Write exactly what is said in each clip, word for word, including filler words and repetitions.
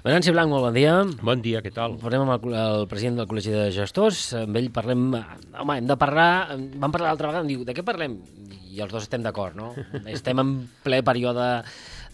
Venanci Blanc, molt bon dia. Bon dia, què tal? Parlem amb el, el president del Col·legi de Gestors. Amb ell parlem... Home, hem de parlar... Vam parlar l'altra vegada, em diu, de què parlem? I els dos estem d'acord, no? Estem en ple període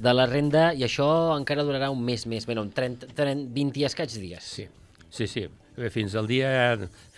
de la renda i això encara durarà un mes més, bé, no, trenta, trenta, vint i escaig dies. Sí, sí, sí. Fins al dia,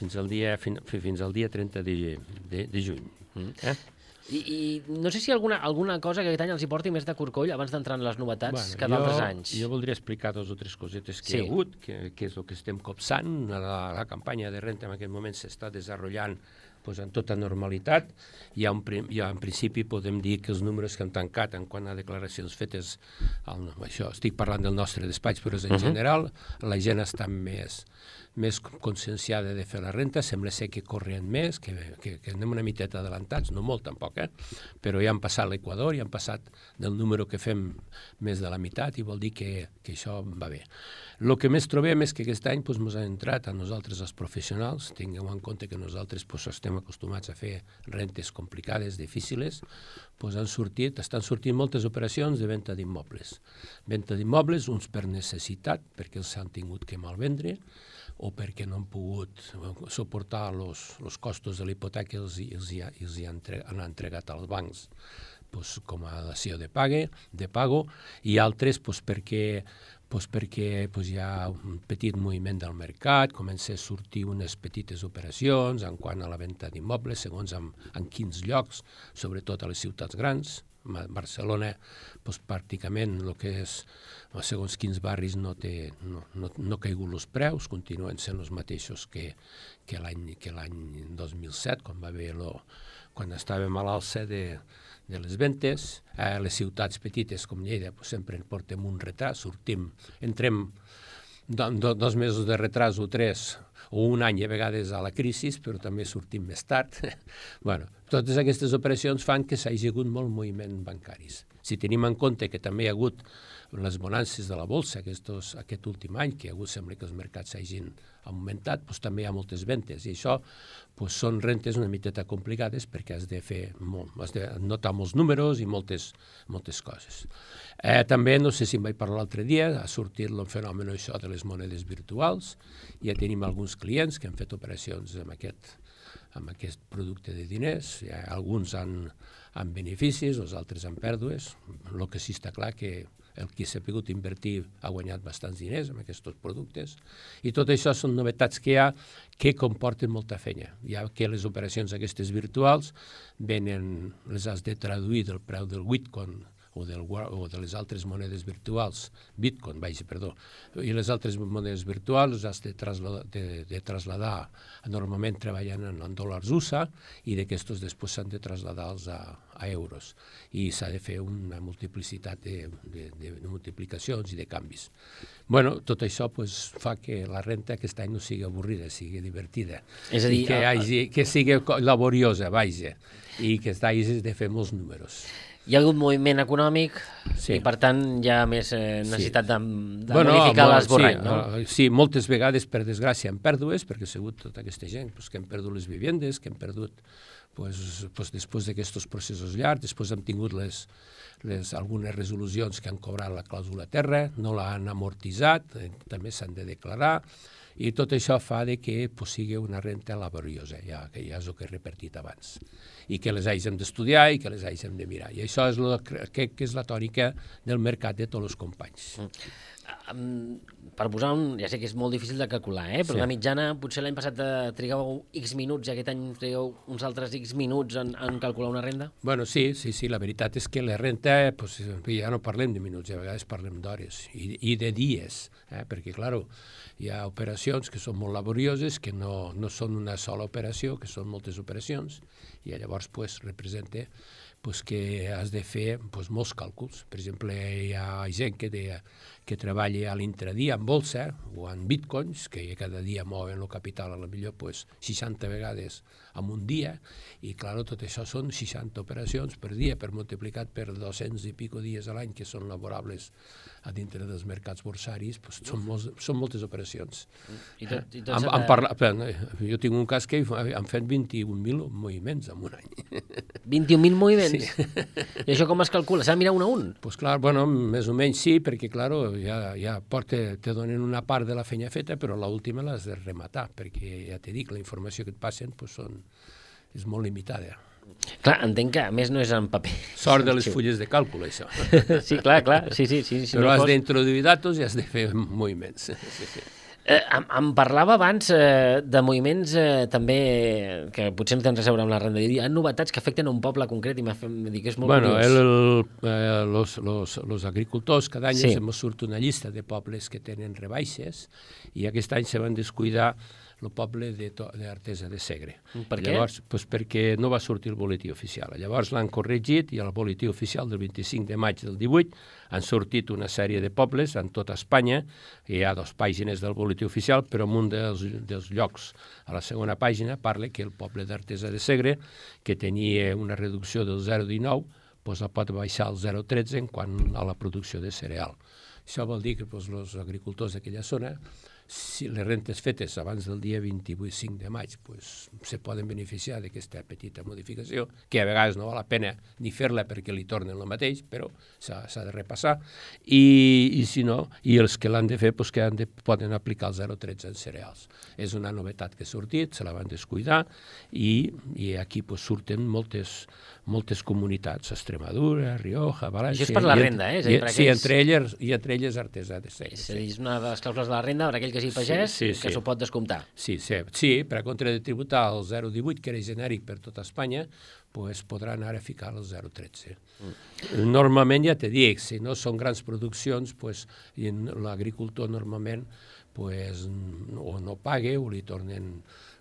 fins al dia, fin, fins al dia trenta de, de, de juny. Mm. Eh? I, I no sé si alguna, alguna cosa que aquest any els hi porti més de corcoll abans d'entrar en les novetats bueno, que d'altres anys. Jo voldria explicar dos o tres cosetes que sí. hi ha hagut, que, que és el que estem copsant. La, la campanya de renta en aquest moment s'està desenvolupant pues, en tota normalitat. Ja, un, ja en principi podem dir que els números que han tancat en quant a declaracions fetes, el, això, estic parlant del nostre despatx, però és en uh -huh. general, la gent està més... més conscienciada de fer la renta, sembla ser que corren més, que, que, que anem una miteta adelantats, no molt tampoc, eh? Però ja han passat l'Equador, ja han passat del número que fem més de la meitat i vol dir que, que això va bé. El que més trobem és que aquest any ens doncs, ha entrat a nosaltres els professionals, tingueu en compte que nosaltres doncs, estem acostumats a fer rentes complicades, difícils, doncs han sortit, estan sortint moltes operacions de venda d'immobles. Venda d'immobles, uns per necessitat, perquè els han tingut que malvendre, o perquè no han pogut suportar els costos de la hipoteca i els, els, els hi han, han entregat als bancs pues, com a dació de, pague, de pago, i altres pues, perquè, pues, perquè pues, hi ha un petit moviment del mercat, comença a sortir unes petites operacions en quant a la venda d'immobles, segons en, en quins llocs, sobretot a les ciutats grans. Barcelona, doncs, pràcticament, el que és, segons quins barris, no té, no, no, no caigut els preus, continuen sent els mateixos que, que l'any que l'any dos mil set, quan va haver lo, quan estàvem a l'alça de, de les ventes. A les ciutats petites, com Lleida, doncs, sempre portem un retras, sortim, entrem do, do, dos mesos de retras o tres, o un any a vegades a la crisi, però també sortim més tard. bueno, totes aquestes operacions fan que s'hagi hagut molt moviment bancaris. Si tenim en compte que també hi ha hagut les bonances de la bolsa aquests, aquest últim any, que hi ha hagut, sembla que els mercats s'hagin augmentat, doncs també hi ha moltes ventes, i això doncs, són rentes una miteta complicades perquè has de fer molt, has de notar molts números i moltes, moltes coses. Eh, també, no sé si em vaig parlar l'altre dia, ha sortit el fenomen això de les monedes virtuals, ja tenim alguns clients que han fet operacions amb aquest, amb aquest producte de diners, ja, alguns han, han beneficis, els altres han pèrdues, el que sí està clar que el qui s'ha pogut invertir ha guanyat bastants diners amb aquests productes, i tot això són novetats que hi ha que comporten molta feina. Ja que les operacions aquestes virtuals venen, les has de traduir del preu del Bitcoin o, del, o de les altres monedes virtuals, Bitcoin, vaja, perdó, i les altres monedes virtuals les has de trasladar, de, de trasladar normalment treballant en, en dòlars U S A, i d'aquestos després s'han de traslladar-los a, a euros, i s'ha de fer una multiplicitat de, de, de, de multiplicacions i de canvis. Bueno, tot això pues, fa que la renta aquest any no sigui avorrida, sigui divertida, és a dir, que, hagi, que sigui laboriosa, vaja, i que hagis de fer molts números. Hi ha hagut moviment econòmic sí. i, per tant, hi ha més eh, necessitat sí. de, de bueno, modificar l'esborrany, sí, no? Uh, sí, moltes vegades, per desgràcia, han pèrdues, perquè ha sigut tota aquesta gent pues, que han perdut les vivendes, que han perdut, pues, pues, després d'aquests processos llargs, després hem tingut les, les, algunes resolucions que han cobrat la clàusula terra, no l'han amortitzat, eh, també s'han de declarar, i tot això fa de que pues, sigui una renta laboriosa, ja, que ja és el que he repartit abans, i que les hàgim d'estudiar i que les hàgim de mirar. I això és, lo, que, que és la tònica del mercat de tots els companys. Mm. Um, per posar un... Ja sé que és molt difícil de calcular, eh? però sí. La mitjana, potser l'any passat trigàveu X minuts i aquest any trigueu uns altres X minuts en, en calcular una renda? Bueno, sí, sí, sí, la veritat és que la renta, pues, ja no parlem de minuts, a vegades parlem d'hores i, i de dies, eh? perquè, clar, hi ha operacions que són molt laborioses, que no, no són una sola operació, que són moltes operacions, i llavors pues, representa pues, que has de fer pues, molts càlculs. Per exemple, hi ha gent que, de, que treballa a l'intradia en bolsa o en bitcoins, que cada dia mouen el capital a la millor pues, seixanta vegades en un dia, i clar, tot això són seixanta operacions per dia, per multiplicat per dos-cents i pico dies a l'any que són laborables a dintre dels mercats borsaris, pues, són, molts, són moltes operacions. I tot, i tot han, han parlat, jo tinc un cas que han fet vint-i-un mil moviments en un any. vint-i-un mil moviments? Sí. I això com es calcula? S'ha de mirar un a un? Doncs pues clar, bueno, més o menys sí, perquè clar, ja, ja porta, te donen una part de la feina feta, però l'última l'has de rematar, perquè ja t'he dit, la informació que et passen pues, són, és molt limitada. Clar, entenc que a més no és en paper. Sort de les fulles de càlcul, això. Sí, clar, clar, sí, sí. sí si però no has fos... d'introduir datos i has de fer moviments. Sí, sí. Eh, em, em parlava abans eh, de moviments eh, també que potser no tenen res a veure amb la renda. Hi ha novetats que afecten a un poble concret i m'ha fet dir que és molt bueno, curiós. El, el, eh, los, los, los agricultors cada any sí. ens surt una llista de pobles que tenen rebaixes i aquest any se van descuidar el poble d'Artesa de Segre. Per què? Llavors, pues perquè no va sortir el boletí oficial. Llavors l'han corregit i al boletí oficial del vint-i-cinc de maig del divuit han sortit una sèrie de pobles en tota Espanya. Hi ha dues pàgines del boletí oficial, però en un dels, dels llocs, a la segona pàgina, parla que el poble d'Artesa de Segre, que tenia una reducció del zero coma dinou, pues la pot baixar al zero coma tretze en quant a la producció de cereal. Això vol dir que pues, els agricultors d'aquella zona, si les rentes fetes abans del dia vint-i-cinc de maig pues, se poden beneficiar d'aquesta petita modificació, que a vegades no val la pena ni fer-la perquè li tornen el mateix, però s'ha de repassar, i, i si no, i els que l'han de fer pues, que han de, poden aplicar el zero coma tretze en cereals. És una novetat que ha sortit, se la van descuidar, i, i aquí pues, surten moltes, moltes comunitats, Extremadura, Rioja, València... Això és per la renda, eh? És a dir, per sí, aquells... entre elles, i entre elles Artesa de Segre. És a dir, és una de les clàusules de la renda per aquell que sigui pagès, sí, sí, que s'ho sí. pot descomptar. Sí, sí, sí, per a contra de tributar el zero coma divuit, que era genèric per tota Espanya, pues, podran ara ficar el zero coma tretze. Mm. Normalment, ja te dic, si no són grans produccions, pues, l'agricultor normalment pues, o no paga o li tornen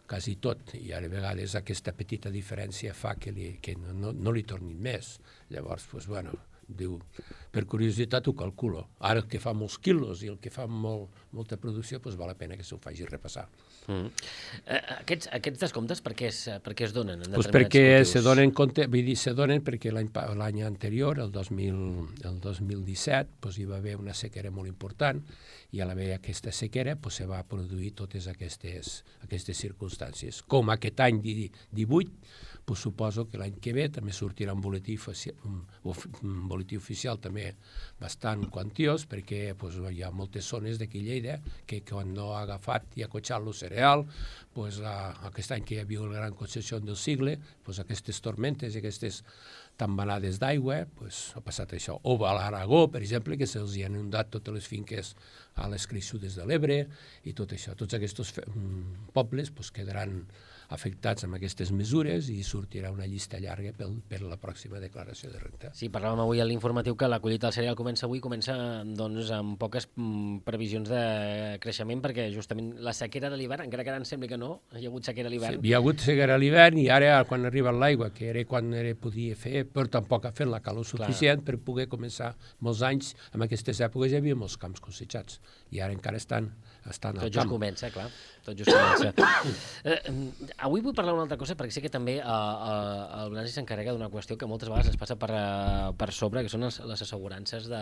quasi tot, i a vegades aquesta petita diferència fa que, li, que no, no, no li tornin més. Llavors, pues, bueno, diu, per curiositat ho calculo. Ara el que fa molts quilos i el que fa molt, molta producció, doncs val la pena que s'ho faci repassar. Mm. Eh, aquests, aquests descomptes per què es, per què es donen? En pues perquè cultius? se donen compte, vull dir, se donen perquè l'any anterior, el dos mil, el dos mil disset, pues, hi va haver una sequera molt important i a l'haver aquesta sequera pues, se va produir totes aquestes, aquestes circumstàncies. Com aquest any divuit, pues, suposo que l'any que ve també sortirà un boletí, un, un boletí oficial també bastant quantiós, perquè pues, hi ha moltes zones d'aquí Lleida que quan no ha agafat i ha cotxat el cereal, pues, a, aquest any que hi havia la gran concessió del sigle, pues, aquestes tormentes i aquestes tambanades d'aigua, pues, ha passat això. O a l'Aragó, per exemple, que se'ls han inundat totes les finques a les crescudes de l'Ebre i tot això. Tots aquests pobles pues, quedaran afectats amb aquestes mesures i sortirà una llista llarga per, per la pròxima declaració de renta. Sí, parlàvem avui a l'informatiu que la collita del cereal comença avui, comença doncs, amb poques mm, previsions de creixement, perquè justament la sequera de l'hivern, encara que ara em sembla que no, hi ha hagut sequera a l'hivern. Sí, hi ha hagut sequera a l'hivern i ara quan arriba l'aigua, que era quan era, podia fer, però tampoc ha fet la calor suficient Clar. per poder començar molts anys. En aquestes èpoques hi havia molts camps cosechats i ara encara estan, estan al Tot camp. just comença, clar. Tot just comença. eh, avui vull parlar d'una altra cosa, perquè sé que també eh, eh, el Blasi s'encarrega d'una qüestió que moltes vegades es passa per, eh, per sobre, que són les, les assegurances de,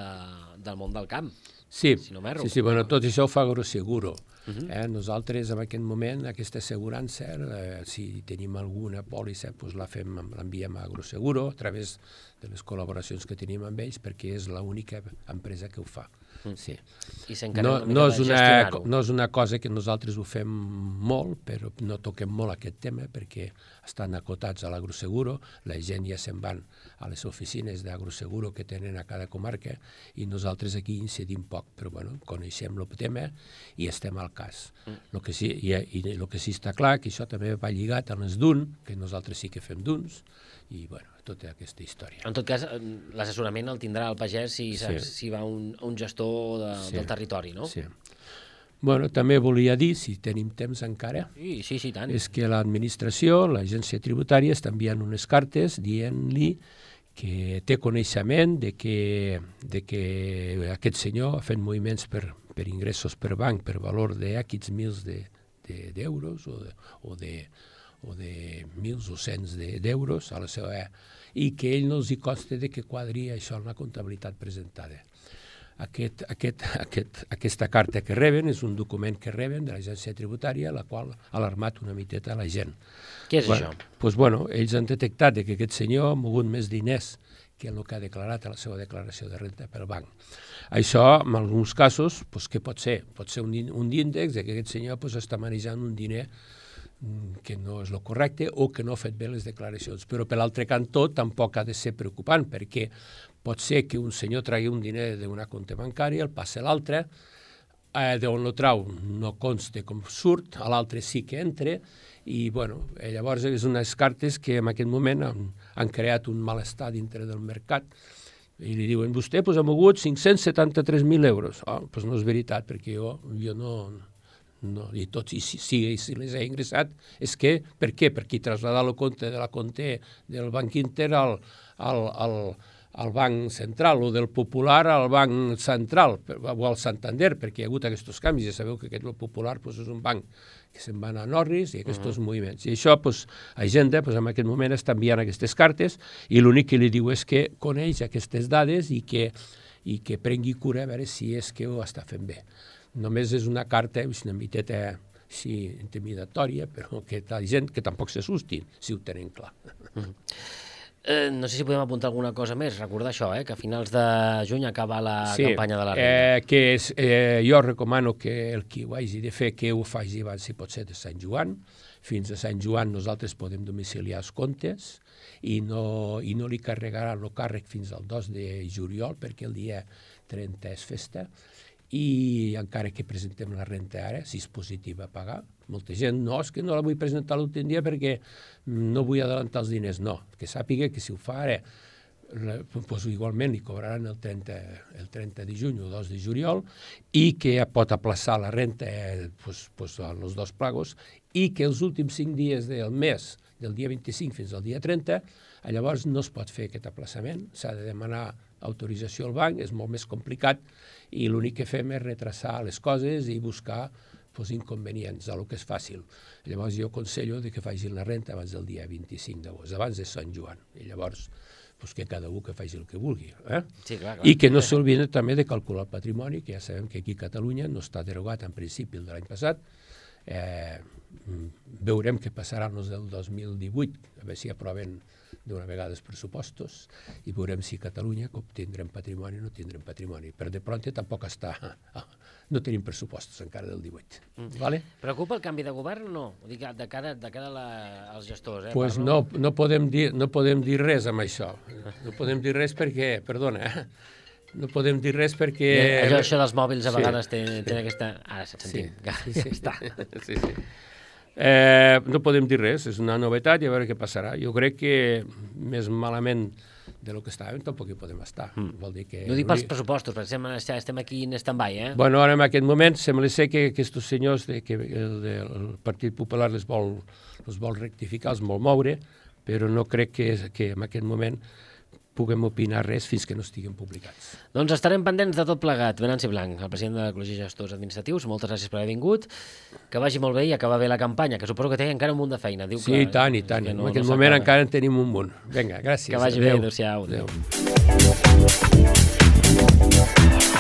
del món del camp. Sí, si no m'erro. sí, sí, bueno, tot això ho fa Agroseguro. Uh -huh. eh? Nosaltres, en aquest moment, aquesta assegurança, eh, si tenim alguna pòlissa, pues la fem, l'enviem a Agroseguro a través de les col·laboracions que tenim amb ells, perquè és l'única empresa que ho fa. Mm. Sí. I no, no, és una, no és una cosa que nosaltres ho fem molt, però no toquem molt aquest tema perquè estan acotats a l'Agroseguro, la gent ja se'n van a les oficines d'Agroseguro que tenen a cada comarca i nosaltres aquí incidim poc, però bueno, coneixem el tema i estem al cas. Mm. Lo que sí, i, i el que sí està clar, que això també va lligat amb els D U N, que nosaltres sí que fem D U Ns, i bueno, tota aquesta història. En tot cas, l'assessorament el tindrà el pagès si, sí. si va un, un gestor de, sí. del territori, no? Sí. Bueno, també volia dir, si tenim temps encara, sí, sí, sí, tant. és que l'administració, l'agència tributària, està enviant unes cartes dient-li que té coneixement de que, de que aquest senyor ha fet moviments per, per ingressos per banc per valor d'aquests mils d'euros de, de, o, de, o de o de mils o cents d'euros de, a la seva i que ell no els hi consta de que quadri això en la comptabilitat presentada. Aquest, aquest, aquest, aquesta carta que reben és un document que reben de l'agència tributària, la qual ha alarmat una miteta a la gent. Què és bueno, això? Pues, bueno, ells han detectat que aquest senyor ha mogut més diners que el que ha declarat a la seva declaració de renta pel banc. Això, en alguns casos, pues, què pot ser? Pot ser un, un índex de que aquest senyor pues, està manejant un diner que no és el correcte o que no ha fet bé les declaracions. Però per l'altre cantó tampoc ha de ser preocupant, perquè pot ser que un senyor tregui un diner d'una compte bancària, el passa a l'altre, eh, d'on el trau no consta com surt, a l'altre sí que entra, i bueno, llavors és unes cartes que en aquest moment han, han creat un malestar dintre del mercat, i li diuen, vostè pues, ha mogut cinc-cents setanta-tres mil euros. Oh, pues no és veritat, perquè jo, jo no... No, i tots, i si, si, si les he ingressat, és que, per què? Perquè traslladar el compte de la compte del Banc Inter al, al, al, al Banc Central o del Popular al Banc Central o al Santander, perquè hi ha hagut aquests canvis. Ja sabeu que aquest el Popular pues, és un banc que se'n van a Norris i aquests uh-huh. moviments. I això, pues, Agenda, pues, en aquest moment està enviant aquestes cartes i l'únic que li diu és que coneix aquestes dades i que, i que prengui cura a veure si és que ho està fent bé. Només és una carta, una miteta sí, intimidatòria, però que la gent que tampoc s'assustin, si ho tenen clar. Mm. Eh, no sé si podem apuntar alguna cosa més, recordar això, eh, que a finals de juny acaba la sí, campanya de la renda. Eh, que és, eh, jo recomano que el qui ho hagi de fer, que ho faci abans, si pot ser, de Sant Joan. Fins a Sant Joan nosaltres podem domiciliar els comptes i no, i no li carregarà el càrrec fins al dos de juliol, perquè el dia trenta és festa, i encara que presentem la renta ara, si és positiva a pagar, molta gent, no, és que no la vull presentar l'últim dia perquè no vull adelantar els diners, no, que sàpiga que si ho fa ara, pues, igualment li cobraran el trenta, el trenta de juny o dos de juliol i que pot aplaçar la renta eh, pues, pues, als dos plagos i que els últims cinc dies del mes, del dia vint-i-cinc fins al dia trenta, llavors no es pot fer aquest aplaçament, s'ha de demanar autorització al banc, és molt més complicat i l'únic que fem és retrasar les coses i buscar pues, inconvenients, el que és fàcil. Llavors jo aconsello que facin la renta abans del dia vint-i-cinc d'agost, abans de Sant Joan, i llavors pues, que cada un que faci el que vulgui. Eh? Sí, clar, clar. I que no s'olviden també de calcular el patrimoni, que ja sabem que aquí a Catalunya no està derogat en principi el de l'any passat. Eh, veurem què passarà en els del dos mil divuit, a veure si aproven d'una vegada els pressupostos i veurem si a Catalunya tindrem patrimoni o no tindrem patrimoni. Per de pronte tampoc està... No tenim pressupostos encara del divuit. Mm. Vale? Preocupa el canvi de govern o no? Dic, de cara, de cara a la, als gestors. Eh? Pues no, no, podem dir, no podem dir res amb això. No podem dir res perquè... Perdona, eh? No podem dir res perquè... I allò, això dels mòbils a vegades sí. té, té aquesta... Ara se't sentim. Sí, sí, ja està. Sí, sí. Eh, no podem dir res, és una novetat i a veure què passarà. Jo crec que més malament de lo que estàvem tampoc hi podem estar. Mm. Vol dir que... No dic pels pressupostos, perquè estem, estem aquí en stand-by, eh? Bueno, ara en aquest moment sembla ser que aquests senyors de, que el, el Partit Popular les vol, les vol rectificar, els vol moure, però no crec que, que en aquest moment puguem opinar res fins que no estiguin publicats. Doncs estarem pendents de tot plegat. Venanci Blanc, el president de l'Ecologia de Gestors Administratius, moltes gràcies per haver vingut, que vagi molt bé i acabar bé la campanya, que suposo que té encara un munt de feina. Diu sí, que, tant i tant. No, en aquest no moment encara en tenim un munt. Vinga, gràcies. Que vagi adeu. bé, adéu-siau. Adéu. Adéu.